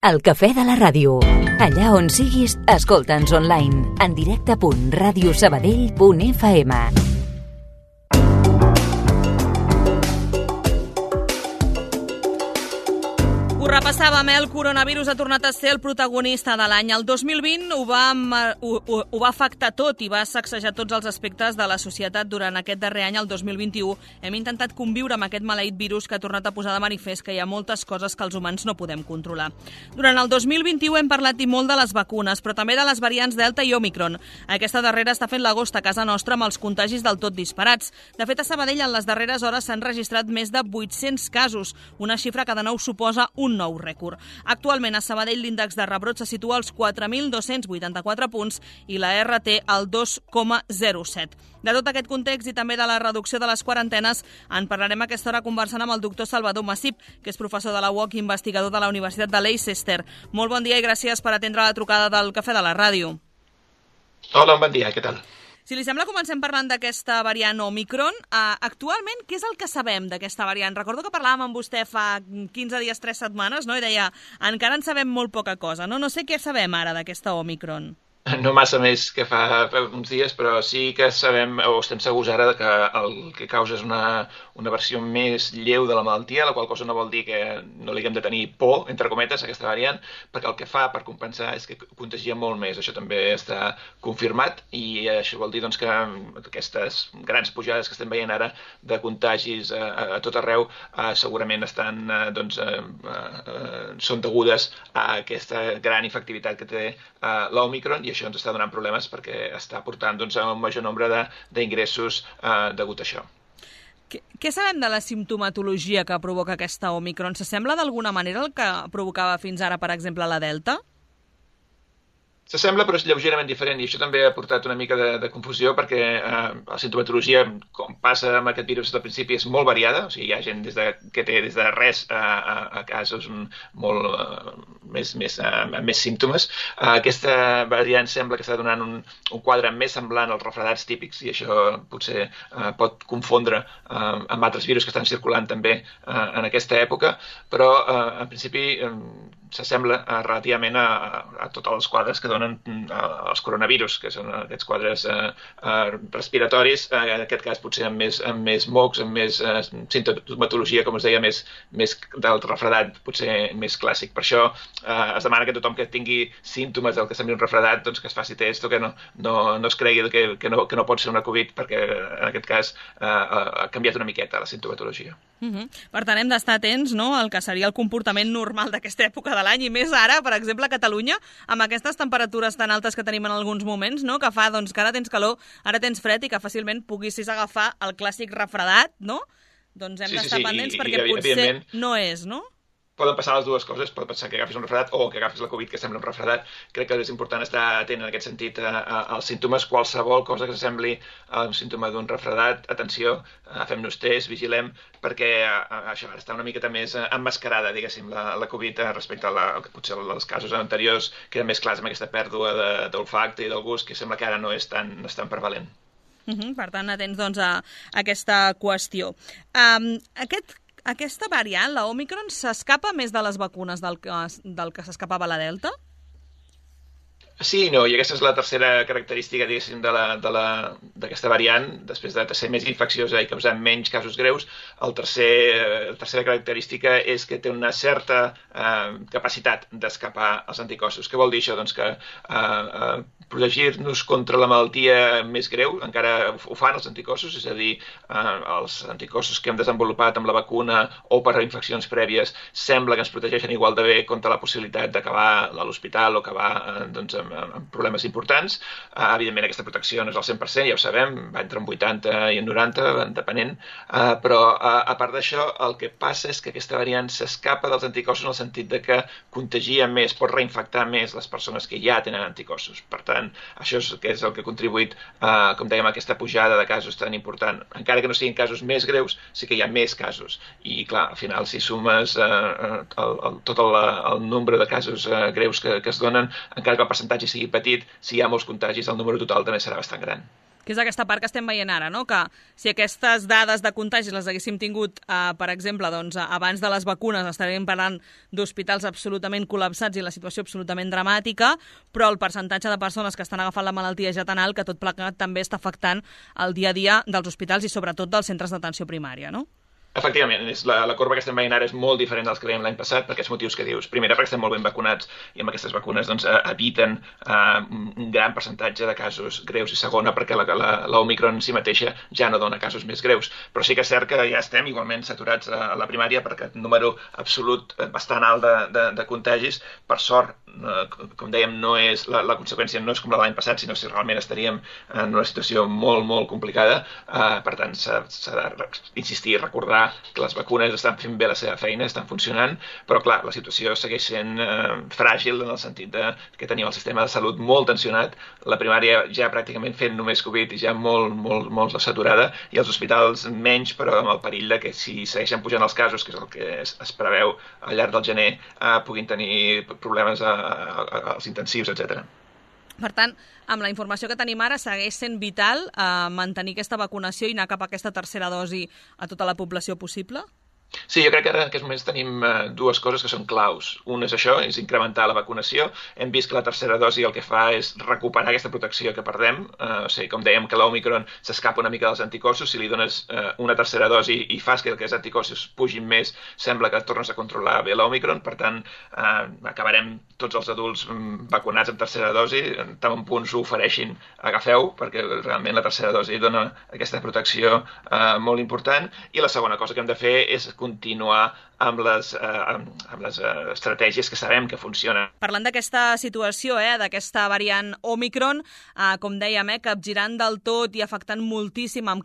El cafè de la ràdio. Allà on siguis, escolta'ns online. En directe.radiosabadell.fm. Ho repassàvem, el coronavirus ha tornat a ser el protagonista de l'any. El 2020 ho va afectar tot i va sacsejar tots els aspectes de la societat. Durant aquest darrer any, el 2021, hem intentat conviure amb aquest maleït virus que ha tornat a posar de manifest que hi ha moltes coses que els humans no podem controlar. Durant el 2021 hem parlat i molt de les vacunes, però també de les variants Delta i Omicron. Aquesta darrera està fent l'agost a casa nostra amb els contagis del tot disparats. De fet, a Sabadell en les darreres hores s'han registrat més de 800 casos, una xifra que de nou suposa un nou rècord. Actualment a Sabadell l'índex de rebrot se situa als 4.284 punts i la RT al 2,07. De tot aquest context i també de la reducció de les quarantenes en parlarem a aquesta hora conversant amb el doctor Salvador Massip, que és professor de la UOC i investigador de la Universitat de Leicester. Molt bon dia i gràcies per atendre la trucada del Cafè de la Ràdio. Hola, bon dia, què tal? Si li sembla, comencem parlant d'aquesta variant Omicron. Actualment, què és el que sabem d'aquesta variant? Recordo que parlàvem amb vostè fa 15 dies, 3 setmanes, no? I deia, encara en sabem molt poca cosa, no? No sé què sabem ara d'aquesta Omicron. No massa més que fa uns dies, però sí que sabem, o estem segurs ara, que el que causa és una versió més lleu de la malaltia, la qual cosa no vol dir que no li haguem de tenir por, entre cometes, a aquesta variant, perquè el que fa per compensar és que contagia molt més. Això també està confirmat i això vol dir doncs, que aquestes grans pujades que estem veient ara de contagis a tot arreu segurament són degudes a aquesta gran efectivitat que té l'Omicron, i això ens està donant problemes perquè està portant a un major nombre d'ingressos degut a això. Què sabem de la simptomatologia que provoca aquesta Omicron? S'assembla d'alguna manera el que provocava fins ara, per exemple, la Delta? S'assembla, però és lleugerament diferent, i això també ha portat una mica de confusió perquè la simptomatologia, com passa amb aquest virus al principi, és molt variada. O sigui, hi ha gent que té des de res a casos molt més símptomes. Aquesta variant sembla que està donant un quadre més semblant als refredats típics, i això potser pot confondre amb altres virus que estan circulant també en aquesta època, però en principi s'assembla relativament a tots els quadres que donen els coronavirus, que són aquests quadres respiratoris, en aquest cas potser amb més mocs, amb més simptomatologia, com es deia, més del refredat, potser més clàssic. Per això es demana que tothom que tingui símptomes del que sembli un refredat, doncs que es faci test o que no es cregui que no pot ser una Covid, perquè en aquest cas ha canviat una miqueta la simptomatologia. Per tant, hem d'estar atents, no?, al que seria el comportament normal d'aquesta època de l'any, i més ara, per exemple, a Catalunya, amb aquestes temperatures tan altes que tenim en alguns moments, no?, que fa que ara tens calor, ara tens fred, i que fàcilment puguis agafar el clàssic refredat, no? Doncs hem d'estar pendents perquè potser no és, no? Poden passar les dues coses, pot pensar que agafis un refredat o que agafis la Covid que sembla un refredat. Crec que és important estar atent en aquest sentit als símptomes. Qualsevol cosa que s'assembli a un símptoma d'un refredat, atenció, fem-nos test, vigilem, perquè això està una miqueta més emmascarada, diguéssim, la Covid respecte a potser els casos anteriors, que eren més clars amb aquesta pèrdua d'olfacte i del gust, que sembla que ara no és tan prevalent. Per tant, atents a aquesta qüestió. Aquesta variant, la Omicron, s'escapa més de les vacunes del que s'escapava la Delta? Sí i no, i aquesta és la tercera característica, diguéssim, d'aquesta variant. Després de ser més infecciosa i causar menys casos greus, la tercera característica és que té una certa capacitat d'escapar als anticossos. Què vol dir això? Doncs que protegir-nos contra la malaltia més greu encara ho fan els anticossos, és a dir, els anticossos que hem desenvolupat amb la vacuna o per infeccions prèvies sembla que ens protegeixen igual de bé contra la possibilitat d'acabar a l'hospital o acabar amb problemes importants. Evidentment, aquesta protecció no és al 100%, ja ho sabem, va entre un 80 i un 90, depenent, però a part d'això, el que passa és que aquesta variant s'escapa dels anticossos en el sentit de que contagia més, pot reinfectar més les persones que ja tenen anticossos. Per tant, això és el que ha contribuït, com dèiem, a aquesta pujada de casos tan important. Encara que no siguin casos més greus, sí que hi ha més casos. I, clar, al final, si sumes tot el nombre de casos greus que es donen, encara que el percentatge sigui petit, si hi ha molts contagis, el número total també serà bastant gran. Que és aquesta part que estem veient ara, no? Que si aquestes dades de contagis les haguéssim tingut, per exemple, doncs, abans de les vacunes, estaríem parlant d'hospitals absolutament col·lapsats i la situació absolutament dramàtica, però el percentatge de persones que estan agafant la malaltia ja tan alt que tot plegat també està afectant el dia a dia dels hospitals i sobretot dels centres d'atenció primària, no? Efectivament, la corba que estem veient ara és molt diferent dels que veiem l'any passat per aquests motius que dius. Primera, perquè estem molt ben vacunats i amb aquestes vacunes doncs, eviten un gran percentatge de casos greus. I segona, perquè l'Omicron en si mateixa ja no dona casos més greus. Però sí que és cert que ja estem igualment saturats a la primària per aquest número absolut bastant alt de contagis. Per sort, com dèiem, la conseqüència no és com la de l'any passat, sinó si realment estaríem en una situació molt, molt complicada. Per tant, s'ha d'insistir i recordar que les vacunes estan fent bé la seva feina, estan funcionant, però clar, la situació segueix sent fràgil en el sentit que tenim el sistema de salut molt tensionat, la primària ja pràcticament fent només Covid i ja molt saturada, i els hospitals menys, però amb el perill de que si segueixen pujant els casos, que és el que es preveu al llarg del gener, puguin tenir problemes als intensius, etc. Per tant, amb la informació que tenim ara, segueix sent vital mantenir aquesta vacunació i anar cap a aquesta tercera dosi a tota la població possible? Sí, jo crec que ara en aquests moments tenim dues coses que són claus. Un és això, és incrementar la vacunació. Hem vist que la tercera dosi el que fa és recuperar aquesta protecció que perdem. Com dèiem que l'Omicron s'escapa una mica dels anticossos, si li dones una tercera dosi i fas que els anticossos pugin més, sembla que tornes a controlar bé l'Omicron. Per tant, acabarem tots els adults vacunats amb tercera dosi. Tant un punt s'ho ofereixin, agafeu, perquè realment la tercera dosi dona aquesta protecció molt important. I la segona cosa que hem de fer és continuar amb les estratègies que sabem que funcionen. Parlant d'aquesta situació, d'aquesta variant Omicron, com dèiem, capgirant del tot i afectant moltíssim en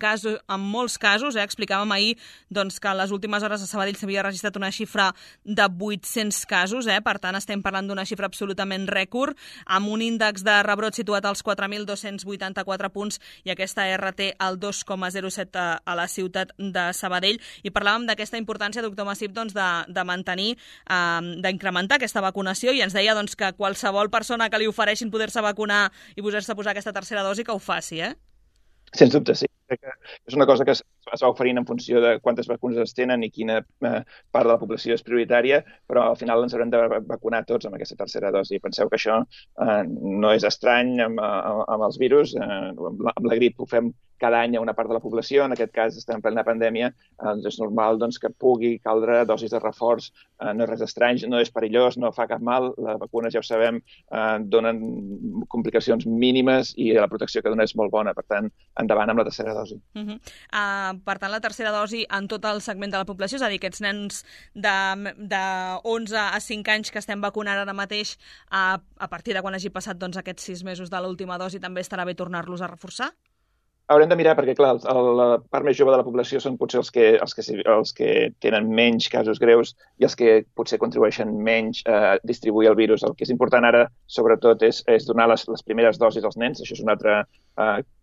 molts casos. Explicàvem ahir doncs, que en les últimes hores a Sabadell s'havia registrat una xifra de 800 casos, per tant estem parlant d'una xifra absolutament rècord, amb un índex de rebrot situat als 4.284 punts i aquesta RT al 2,07 a la ciutat de Sabadell. I parlàvem d'aquesta importància, doctor Massip, de mantenir, d'incrementar aquesta vacunació, i ens deia que qualsevol persona que li ofereixin poder-se vacunar i posar-se a posar aquesta tercera dosi que ho faci, Sens dubte, sí. És una cosa que es va oferint en funció de quantes vacunes es tenen i quina part de la població és prioritària, però al final ens haurem de vacunar tots amb aquesta tercera dosi. Penseu que això no és estrany amb els virus. Amb la grip ho fem cada any a una part de la població, en aquest cas estem en plena pandèmia, és normal que pugui caldre dosis de reforç, no és res estrany, no és perillós, no fa cap mal, les vacunes ja ho sabem, donen complicacions mínimes i la protecció que dona és molt bona, per tant, endavant amb la tercera dosi. Per tant, la tercera dosi en tot el segment de la població, és a dir, aquests nens de 11 a 5 anys que estem vacunant ara mateix, a partir de quan hagi passat aquests 6 mesos de l'última dosi, també estarà bé tornar-los a reforçar? Haurem de mirar perquè, clar, la part més jove de la població són potser els que tenen menys casos greus i els que potser contribueixen menys a distribuir el virus. El que és important ara, sobretot, és donar les primeres dosis als nens. Això és una altra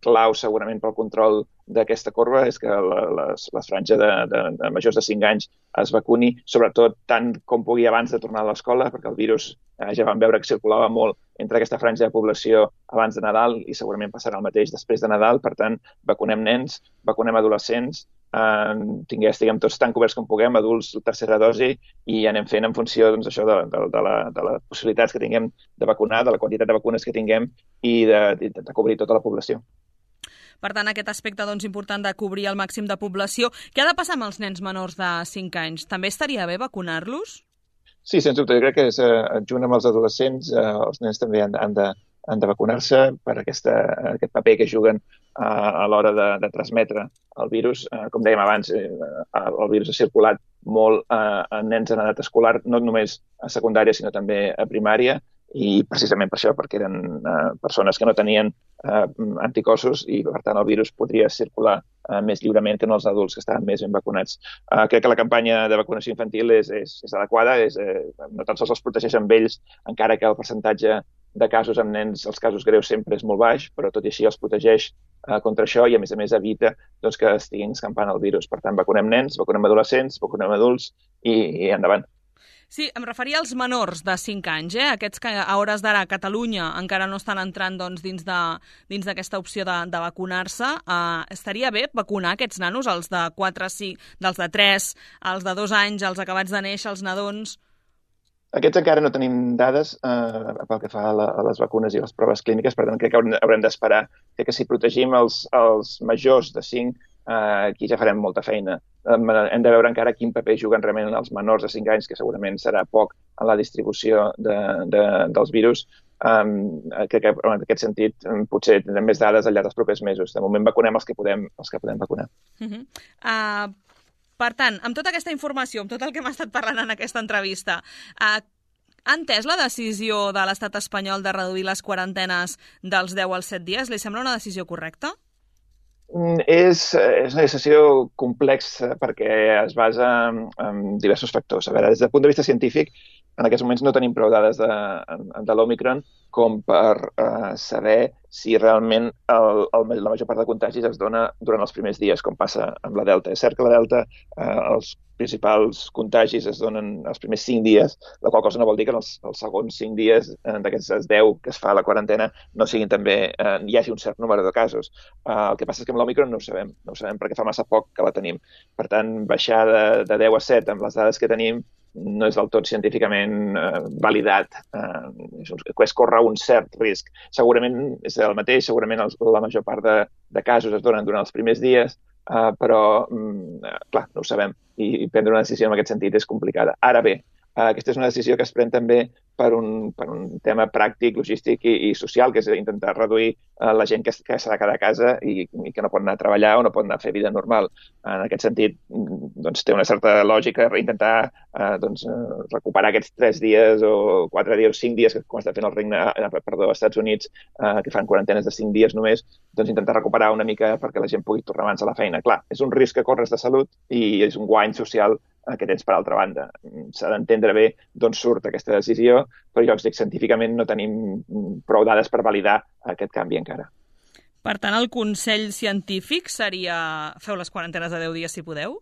clau, segurament, pel control d'aquesta corba, és que la franja de majors de 5 anys es vacuni, sobretot tant com pugui abans de tornar a l'escola, perquè el virus ja vam veure que circulava molt entre aquesta franja de població abans de Nadal i segurament passarà el mateix després de Nadal. Per tant, vacunem nens, vacunem adolescents, estiguem tots tan coberts com puguem, adults, tercera dosi, i anem fent en funció això de les possibilitats que tinguem de vacunar, de la quantitat de vacunes que tinguem i de cobrir tota la població. Per tant, aquest aspecte important de cobrir el màxim de població. Què ha de passar amb els nens menors de 5 anys? També estaria bé vacunar-los? Sí, sens dubte. Jo crec que junt amb els adolescents, els nens també han de vacunar-se per aquest paper que juguen a l'hora de transmetre el virus. Com dèiem abans, el virus ha circulat molt en nens en edat escolar, no només a secundària, sinó també a primària, i precisament per això, perquè eren persones que no tenien anticossos i, per tant, el virus podria circular més lliurement que en els adults que estaven més ben vacunats. Crec que la campanya de vacunació infantil és adequada, no tan sols els protegeix amb ells, encara que el percentatge de casos amb nens, els casos greus sempre és molt baix, però tot i així els protegeix contra això i, a més evita que estiguin escampant el virus. Per tant, vacunem nens, vacunem adolescents, vacunem adults i endavant. Sí, em referia als menors de 5 anys, aquests que a hores d'ara a Catalunya encara no estan entrant dins d'aquesta opció de vacunar-se. Estaria bé vacunar aquests nanos, els de 4, 5, dels de 3, els de 2 anys, els acabats de néixer, els nadons? Aquests encara no tenim dades pel que fa a les vacunes i les proves clíniques, per tant crec que haurem d'esperar. Crec que si protegim els majors de 5, aquí ja farem molta feina. Hem de veure encara quin paper juguen realment els menors de 5 anys, que segurament serà poc en la distribució dels virus. Crec que en aquest sentit potser tindrem més dades al llarg dels propers mesos. De moment vacunem els que podem vacunar. Per tant, amb tota aquesta informació, amb tot el que hem estat parlant en aquesta entrevista, ha entès la decisió de l'Estat espanyol de reduir les quarantenes dels 10 als 7 dies? Li sembla una decisió correcta? És una decisió complexa perquè es basa en diversos factors. A veure, des del punt de vista científic, en aquests moments no tenim prou dades de l'Òmicron com per saber si realment la major part de contagis es dona durant els primers dies, com passa amb la Delta. És cert que la Delta, els principals contagis es donen els primers 5 dies, la qual cosa no vol dir que en els segons 5 dies d'aquests 10 que es fa la quarantena no siguin també, hi hagi un cert número de casos. El que passa és que amb l'Òmicron no ho sabem perquè fa massa poc que la tenim. Per tant, baixar de 10 a 7 amb les dades que tenim no és del tot científicament validat. Es corre un cert risc. Segurament és el mateix, segurament la major part de casos es donen durant els primers dies, però, clar, no ho sabem. I prendre una decisió en aquest sentit és complicada. Ara bé, aquesta és una decisió que es pren també per un tema pràctic, logístic i social, que és intentar reduir la gent que s'ha de quedar a casa i que no pot anar a treballar o no pot anar a fer vida normal. En aquest sentit, doncs, té una certa lògica intentar recuperar aquests 3 dies o 4 dies o 5 dies que com està fent als Estats Units, que fan quarantenes de 5 dies només, doncs intentar recuperar una mica perquè la gent pugui tornar abans a la feina. Clar, és un risc que corres de salut i és un guany social que tens per altra banda. S'ha d'entendre bé d'on surt aquesta decisió, però jo dic, científicament no tenim prou dades per validar aquest canvi encara. Per tant, el consell científic seria feu les quarantenes de 10 dies si podeu?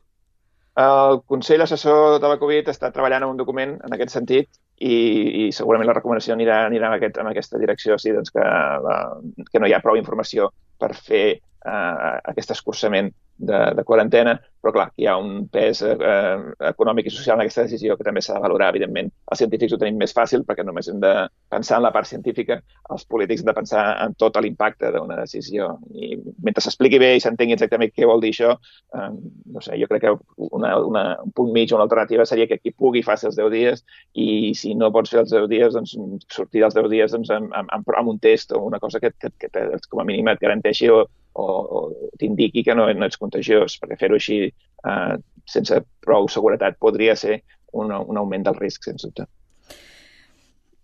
El Consell Assessor de la Covid està treballant en un document en aquest sentit i segurament la recomanació anirà en aquesta direcció, sí, doncs que no hi ha prou informació per fer aquest escurçament de quarantena, però clar, hi ha un pes econòmic i social en aquesta decisió que també s'ha de valorar, evidentment. Els científics ho tenim més fàcil perquè només hem de pensar en la part científica, els polítics hem de pensar en tot l'impacte d'una decisió. I mentre s'expliqui bé i s'entengui exactament què vol dir això, no sé, jo crec que un punt mig o una alternativa seria que qui pugui faci els 10 dies i si no pots fer els 10 dies, doncs sortir dels 10 dies amb un test o una cosa que com a mínim et garanteixi o t'indiqui que no ets contagiós, perquè fer-ho així sense prou seguretat podria ser un augment del risc, sens dubte.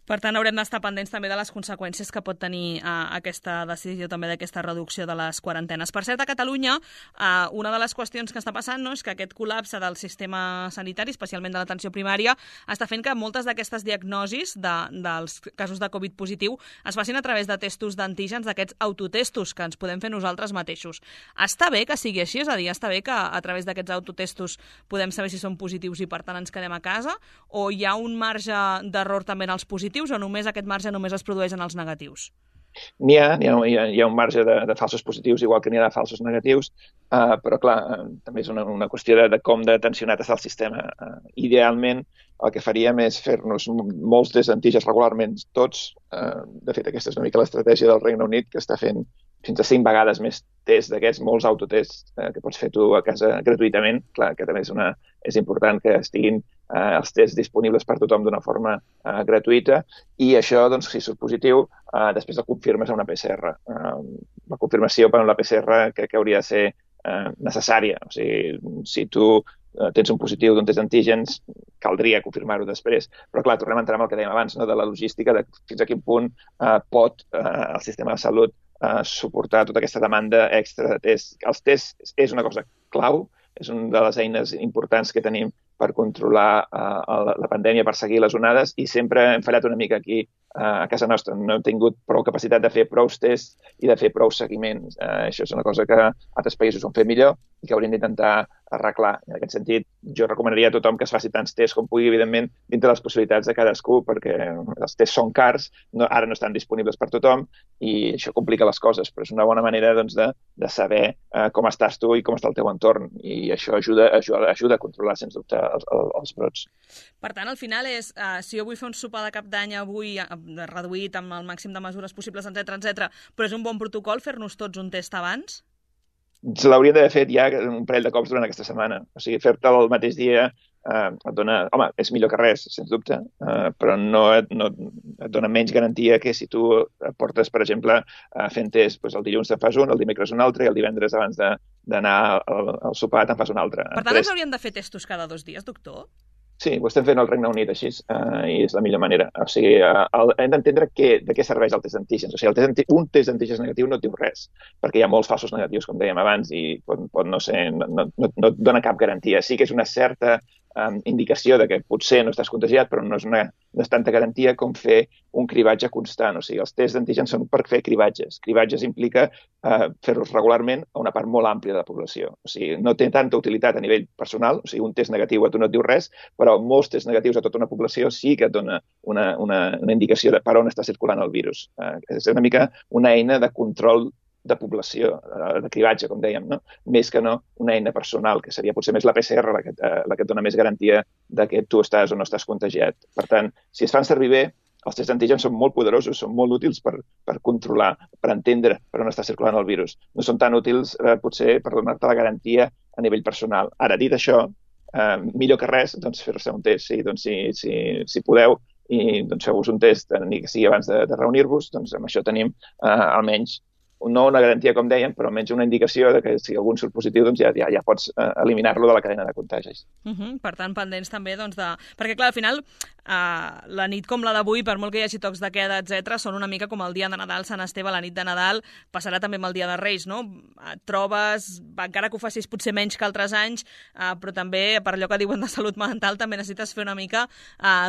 Per tant, haurem d'estar pendents també de les conseqüències que pot tenir aquesta decisió també d'aquesta reducció de les quarantenes. Per cert, a Catalunya, una de les qüestions que està passant és que aquest col·lapse del sistema sanitari, especialment de l'atenció primària, està fent que moltes d'aquestes diagnosis dels casos de Covid positiu es facin a través de testos d'antígens, d'aquests autotestos que ens podem fer nosaltres mateixos. Està bé que sigui així? És a dir, està bé que a través d'aquests autotestos podem saber si són positius i per tant ens quedem a casa? O hi ha un marge d'error també en els positius o només aquest marge només es produeix en els negatius? N'hi ha un marge de falsos positius, igual que n'hi ha de falsos negatius, però clar, també és una qüestió de com de tensionat està el sistema. Idealment, el que faríem és fer-nos molts tests d'antígens regularment, tots. De fet, aquesta és una mica l'estratègia del Regne Unit, que està fent fins a 5 vegades més tests d'aquests, molts autotests que pots fer tu a casa gratuïtament. Clar, que també és important que estiguin els tests disponibles per tothom d'una forma gratuïta i això, doncs, si surt positiu, després el confirmes a una PCR. La confirmació per una PCR crec que hauria de ser necessària. O sigui, si tu tens un positiu d'un test d'antígens, caldria confirmar-ho després. Però, clar, tornem a entrar en el que dèiem abans, no? De la logística, de fins a quin punt pot el sistema de salut suportar tota aquesta demanda extra de tests. Els tests és una cosa clau, és una de les eines importants que tenim per controlar la pandèmia, per seguir les onades, i sempre hem fallat una mica aquí a casa nostra. No hem tingut prou capacitat de fer prou tests i de fer prou seguiments. Això és una cosa que altres països ho han fet millor i que hauríem d'intentar arreglar. En aquest sentit, jo recomanaria a tothom que es faci tants tests com pugui, evidentment, dintre les possibilitats de cadascú, perquè els tests són cars, ara no estan disponibles per tothom, i això complica les coses, però és una bona manera doncs, de saber com estàs tu i com està el teu entorn, i això ajuda a controlar, sens dubte, els brots. Per tant, al final és, si jo vull fer un sopar de cap d'any avui reduït amb el màxim de mesures possibles, etc, però és un bon protocol fer-nos tots un test abans? L'hauríem d'haver fet ja un parell de cops durant aquesta setmana. O sigui, fer-te el mateix dia et dona... Home, és millor que res, sens dubte, però no et dona menys garantia que si tu portes, per exemple, fent test, doncs el dilluns te'n fas un, el dimecres un altre, i el divendres abans d'anar al sopar te'n fas un altre. Per tant, ens hauríem de fer testos cada 2 dies, doctor? Sí, ho estem fent al Regne Unit així, i és la millor manera. O sigui, hem d'entendre de què serveix el test d'antígens. O sigui, un test d'antígens negatiu no et diu res, perquè hi ha molts falsos negatius, com dèiem abans, i pot no ser, no et dona cap garantia. Sí que és una certa indicació de que potser no estàs contagiat, però no és tanta garantia com fer un cribatge constant. O sigui, els tests d'antígens són per fer cribatges. Cribatges implica fer-los regularment a una part molt àmplia de la població. O sigui, no té tanta utilitat a nivell personal, o sigui, un test negatiu a tu no et diu res, però molts tests negatius a tota una població sí que et dona una indicació de per on està circulant el virus. És una mica una eina de control de població, de cribatge, com dèiem, no? Més que no una eina personal, que seria potser més la PCR la que et dona més garantia de que tu estàs o no estàs contagiat. Per tant, si es fan servir bé, els tests d'antígens són molt poderosos, són molt útils per controlar, per entendre per on està circulant el virus. No són tan útils, potser, per donar-te la garantia a nivell personal. Ara, dit això, millor que res, doncs, fer-se un test. Sí, doncs, si podeu, i doncs, feu-vos un test, ni que sigui abans de reunir-vos, doncs amb això tenim almenys no una garantia, com dèiem, però almenys una indicació de que si algun surt positiu, doncs ja pots eliminar-lo de la cadena de contagis. Per tant, pendents també, doncs, perquè, clar, al final, la nit com la d'avui, per molt que hi hagi tocs de queda, etc, són una mica com el dia de Nadal, Sant Esteve, la nit de Nadal, passarà també amb el dia de Reis, no? Et trobes, encara que ho facis potser menys que altres anys, però també, per allò que diuen de salut mental, també necessites fer una mica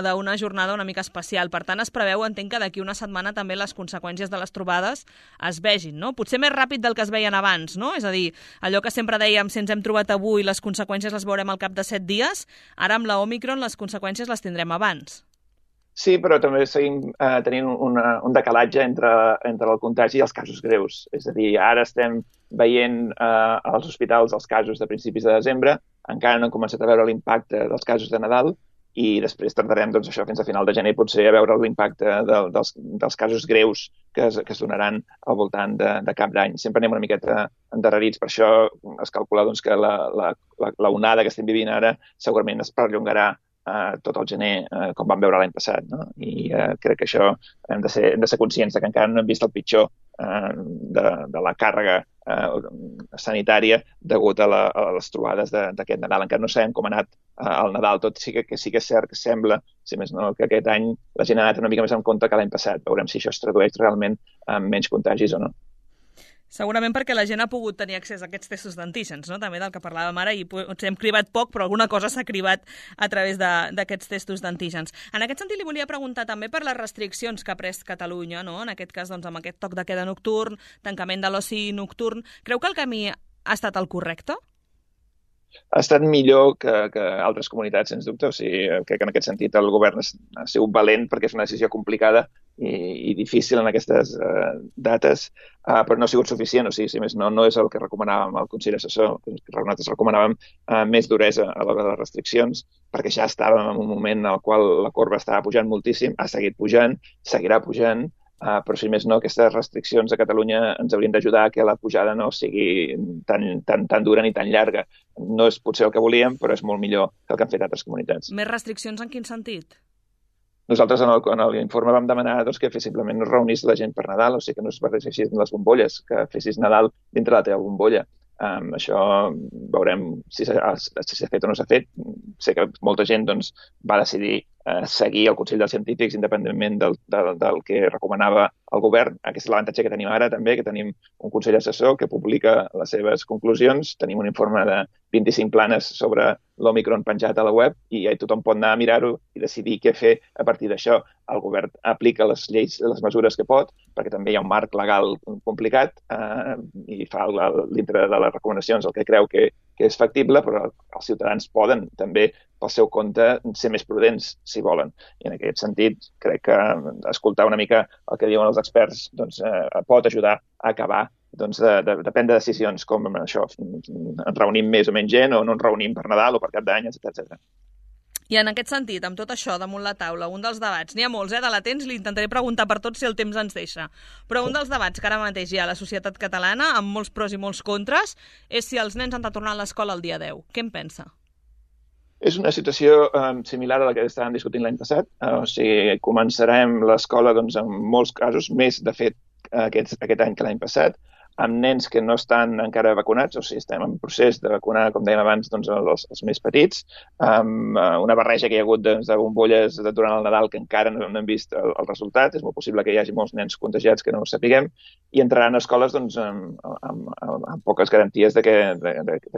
d'una jornada una mica especial. Per tant, es preveu, entenc que d'aquí una setmana també les conseqüències de les trobades es vegin, no? Potser més ràpid del que es veien abans, no? És a dir, allò que sempre dèiem, si ens hem trobat avui, les conseqüències les veurem al cap de 7 dies, ara amb la Omicron les conseqüències les tindrem abans. Sí, però també seguim tenint un decalatge entre el contagi i els casos greus. És a dir, ara estem veient als hospitals els casos de principis de desembre, encara no hem començat a veure l'impacte dels casos de Nadal, i després tardarem doncs, això fins a final de gener potser a veure l'impacte dels casos greus que es donaran al voltant de cap d'any. Sempre anem una miqueta endarrerits, per això es calcula doncs, que la onada que estem vivint ara segurament es perllongarà tot el gener, com vam veure l'any passat. No? I crec que això hem de ser conscients que encara no hem vist el pitjor de la càrrega sanitària degut a les trobades d'aquest Nadal. Encara no sabem com ha anat el Nadal, tot sí que és cert que sembla, si més no, que aquest any la gent ha anat una mica més en compte que l'any passat. Veurem si això es tradueix realment en menys contagis o no. Segurament perquè la gent ha pogut tenir accés a aquests testos d'antígens, no? També del que parlàvem ara, i hem cribat poc, però alguna cosa s'ha cribat a través d'aquests testos d'antígens. En aquest sentit, li volia preguntar també per les restriccions que ha pres Catalunya, no? En aquest cas, doncs, amb aquest toc de queda nocturn, tancament de l'oci nocturn. Creu que el camí ha estat el correcte? Ha estat millor que altres comunitats, sens dubte. O sigui, crec que en aquest sentit el govern ha sigut valent perquè és una decisió complicada i difícil en aquestes dates, però no ha sigut suficient. O sigui, si més no és el que recomanàvem al Consell Assessor. Nosaltres recomanàvem més duresa a l'hora de les restriccions, perquè ja estàvem en un moment en el qual la corba estava pujant moltíssim, ha seguit pujant, seguirà pujant, però si més no, aquestes restriccions a Catalunya ens haurien d'ajudar a que la pujada no sigui tan dura ni tan llarga. No és potser el que volíem, però és molt millor que el que han fet altres comunitats. Més restriccions en quin sentit? Nosaltres en l'informe vam demanar que simplement no es reunís la gent per Nadal, o sigui que no es barregessin les bombolles, que fessis Nadal dintre la teva bombolla. Això veurem si s'ha fet o no s'ha fet. Sé que molta gent va decidir seguir el Consell dels Científics independentment del que recomanava el govern. Aquest és l'avantatge que tenim ara també, que tenim un Consell Assessor que publica les seves conclusions. Tenim un informe de 25 planes sobre l'Omicron penjat a la web i tothom pot anar a mirar-ho i decidir què fer a partir d'això. El govern aplica les lleis, les mesures que pot, perquè també hi ha un marc legal complicat i fa dintre de les recomanacions el que creu que que és factible, però els ciutadans poden també, pel seu compte, ser més prudents, si volen. I en aquest sentit, crec que escoltar una mica el que diuen els experts doncs, pot ajudar a acabar de prendre decisions com això, ens reunim més o menys gent o no ens reunim per Nadal o per Cap d'Any, etc. I en aquest sentit, amb tot això damunt la taula, un dels debats, n'hi ha molts, de latents, li intentaré preguntar per tots si el temps ens deixa, però un dels debats que ara mateix hi ha a la societat catalana, amb molts pros i molts contres, és si els nens han de tornar a l'escola el dia 10. Què en pensa? És una situació similar a la que estàvem discutint l'any passat. O sigui, començarem l'escola en molts casos, més de fet aquest any que l'any passat, amb nens que no estan encara vacunats, o sigui, estem en procés de vacunar, com dèiem abans, els més petits, amb una barreja que hi ha hagut de bombolles durant el Nadal que encara no hem vist el resultat. És molt possible que hi hagi molts nens contagiats que no ho sapiguem, i entraran a escoles amb poques garanties de que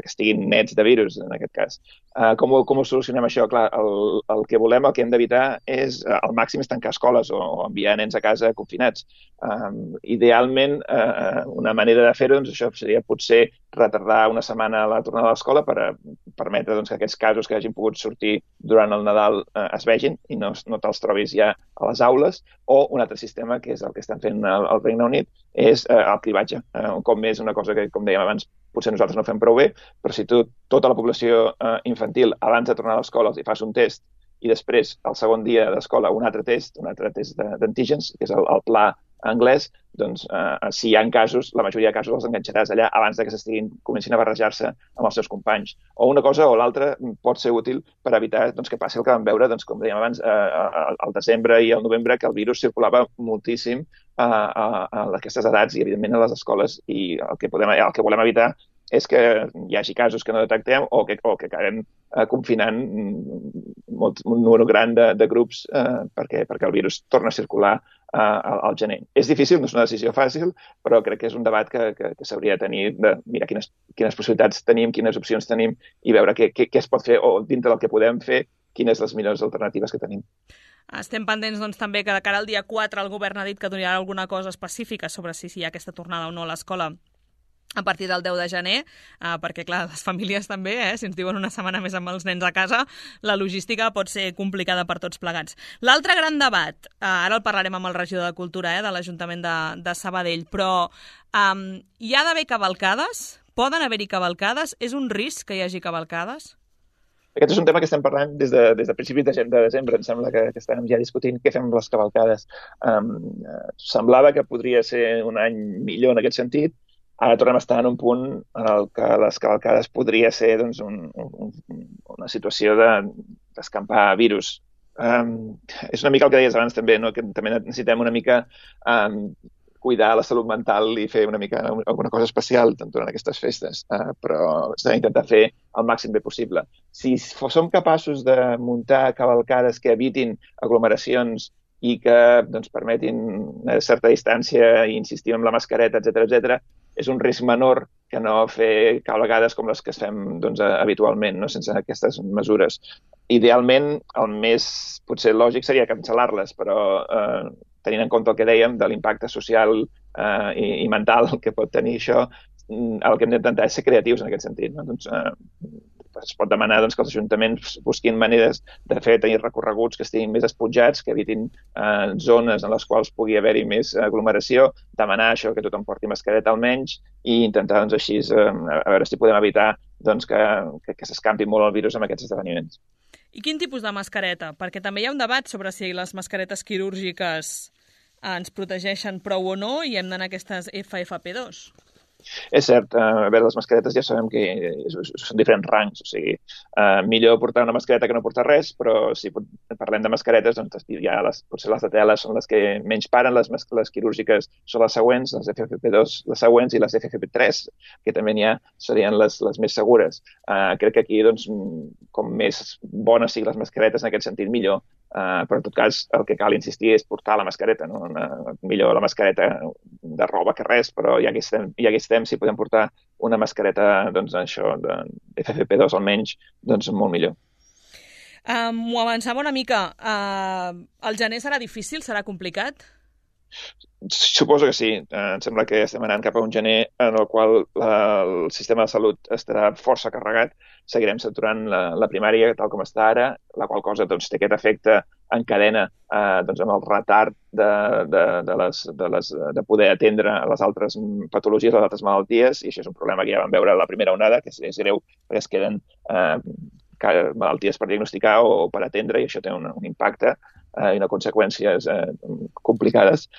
estiguin nets de virus, en aquest cas. Com ho solucionem això? Clar, el que volem, el que hem d'evitar és al màxim tancar escoles o enviar nens a casa confinats. Idealment, una manera de fer-ho, això seria potser retardar una setmana la tornada a l'escola per permetre que aquests casos que hagin pogut sortir durant el Nadal es vegin i no te'ls trobis ja a les aules. O un altre sistema, que és el que estan fent al Regne Unit, és el cribatge. Un cop més, una cosa que, com dèiem abans, potser nosaltres no fem prou bé, però si tu tota la població infantil abans de tornar a l'escola els hi fas un test i després, el segon dia d'escola, un altre test d'antígens, que és el pla anglès, doncs si hi ha casos, la majoria de casos els enganxaràs allà abans de que comencin a barrejar-se amb els seus companys. O una cosa o l'altra pot ser útil per evitar que passi el que vam veure, com dèiem abans, al desembre i al novembre, que el virus circulava moltíssim a aquestes edats i, evidentment, a les escoles. I el que volem evitar és que hi hagi casos que no detectem o que acabem confinant un número gran de grups perquè el virus torna a circular al gener. És difícil, no és una decisió fàcil, però crec que és un debat que s'hauria de tenir, de mirar quines possibilitats tenim, quines opcions tenim i veure què es pot fer o dintre del que podem fer, quines les millors alternatives que tenim. Estem pendents també que de cara al dia 4 el govern ha dit que donarà alguna cosa específica sobre si hi ha aquesta tornada o no a l'escola a partir del 10 de gener, perquè, clar, les famílies també, si ens diuen una setmana més amb els nens a casa, la logística pot ser complicada per tots plegats. L'altre gran debat, ara el parlarem amb el regidor de Cultura de l'Ajuntament de Sabadell, però hi ha d'haver cavalcades? Poden haver-hi cavalcades? És un risc que hi hagi cavalcades? Aquest és un tema que estem parlant des de principis de desembre. Em sembla que estàvem ja discutint què fem amb les cavalcades. Semblava que podria ser un any millor en aquest sentit. Ara tornem a estar en un punt en el que les cavalcades podria ser una situació d'escampar virus. És una mica el que deies abans també, no? Que també necessitem una mica cuidar la salut mental i fer una mica alguna cosa especial durant aquestes festes, però s'ha d'intentar fer el màxim bé possible. Si som capaços de muntar cavalcades que evitin aglomeracions i que permetin una certa distància i insistir en la mascareta, etc., és un risc menor que no fer cavalcades com les que es fem habitualment, no? Sense aquestes mesures. Idealment, el més potser lògic seria cancel·lar-les, però tenint en compte el que dèiem de l'impacte social i mental que pot tenir això, el que hem d'intentar és ser creatius en aquest sentit. No? Es pot demanar que els ajuntaments busquin maneres de tenir recorreguts que estiguin més esponjats, que evitin zones en les quals pugui haver-hi més aglomeració, demanar això, que tothom porti mascareta almenys i intentar així a veure si podem evitar que s'escampi molt el virus amb aquests esdeveniments. I quin tipus de mascareta? Perquè també hi ha un debat sobre si les mascaretes quirúrgiques ens protegeixen prou o no i hem d'anar a aquestes FFP2. És cert, a veure, les mascaretes ja sabem que són diferents rangs, o sigui, millor portar una mascareta que no portar res, però si parlem de mascaretes, doncs ja potser les de tela són les que menys paren, les quirúrgiques són les següents, les FFP2 les següents i les FFP3, que també n'hi ha, serien les més segures. Crec que aquí, doncs, com més bones siguin les mascaretes, en aquest sentit, millor. Però en tot cas el que cal insistir és portar la mascareta, no? Millor la mascareta de roba que res, però ja que estem, si podem portar una mascareta de FFP2 almenys, doncs molt millor. M'ho avançava una mica. El gener serà difícil? Serà complicat? Suposo que sí. Em sembla que estem anant cap a un gener en el qual el sistema de salut estarà força carregat. Seguirem saturant la primària tal com està ara, la qual cosa doncs, té aquest efecte en cadena doncs, amb el retard de poder atendre les altres patologies, les altres malalties, i això és un problema que ja vam veure a la primera onada, que és greu perquè es queden malalties per diagnosticar o per atendre, i això té un impacte i unes conseqüències complicades.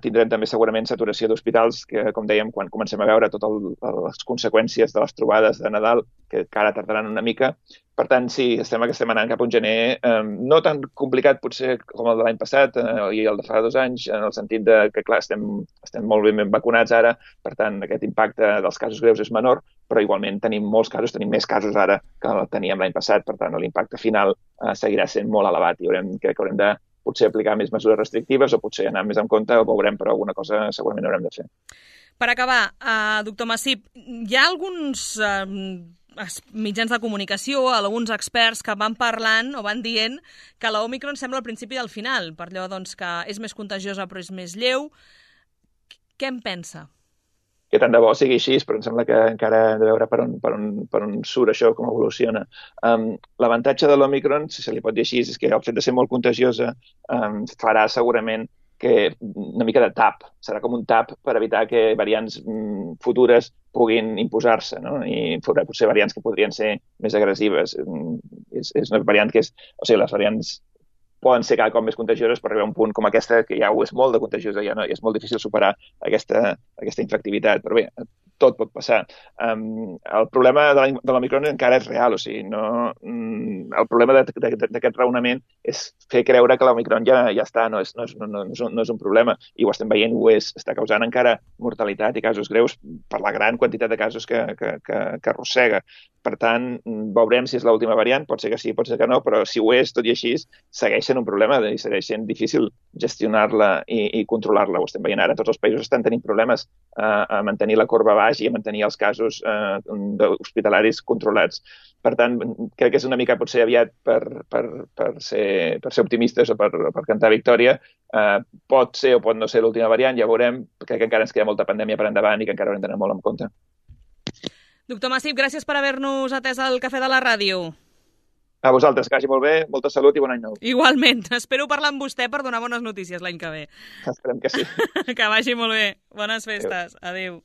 Tindrem també segurament saturació d'hospitals, que, com dèiem, quan comencem a veure totes les conseqüències de les trobades de Nadal, que encara tardaran una mica. Per tant, sí, estem anant cap a un gener no tan complicat potser com el de l'any passat i el de fa 2 anys, en el sentit de que, clar, estem molt ben vacunats ara, per tant, aquest impacte dels casos greus és menor, però igualment tenim molts casos, tenim més casos ara que el teníem l'any passat, per tant, l'impacte final seguirà sent molt elevat i crec que haurem de potser aplicar més mesures restrictives o potser anar més en compte, o veurem, però alguna cosa segurament haurem de fer. Per acabar, doctor Massip, hi ha alguns mitjans de comunicació, alguns experts que van parlant o van dient que l'Òmicron sembla el principi del final, per allò doncs, que és més contagiosa però és més lleu. Què en pensa? Que tant de bo sigui així, però em sembla que encara hem de veure per on surt això, com evoluciona. L'avantatge de l'Òmicron, si se li pot dir així, és que el fet de ser molt contagiosa farà segurament que una mica de tap, serà com un tap per evitar que variants futures puguin imposar-se, no? I potser variants que podrien ser més agressives. És una variant que és... O sigui, les variants poden ser cada cop més contagioses, però arribar a un punt com aquesta, que ja ho és molt de contagiosa, ja no, és molt difícil superar aquesta infectivitat. Però bé, tot pot passar. El problema de l'Òmicron encara és real, o sigui, el problema d'aquest raonament és fer creure que l'Òmicron ja està, no és un problema, i ho estem veient, està causant encara mortalitat i casos greus per la gran quantitat de casos que arrossega. Per tant, veurem si és l'última variant, pot ser que sí, pot ser que no, però si ho és, tot i així, segueix sent un problema i segueix sent difícil gestionar-la i controlar-la. Ho estem veient ara, tots els països estan tenint problemes a mantenir la corba baix i a mantenir els casos hospitalaris controlats. Per tant, crec que és una mica potser aviat per ser optimistes o per cantar victòria. Pot ser o pot no ser l'última variant, ja veurem. Crec que encara ens queda molta pandèmia per endavant i que encara haurem d'anar molt en compte. Doctor Massip, gràcies per haver-nos atès al Cafè de la Ràdio. A vosaltres, que vagi molt bé, molta salut i bon any nou. Igualment, espero parlar amb vostè per donar bones notícies l'any que ve. Esperem que sí. Que vagi molt bé. Bones festes. Adéu.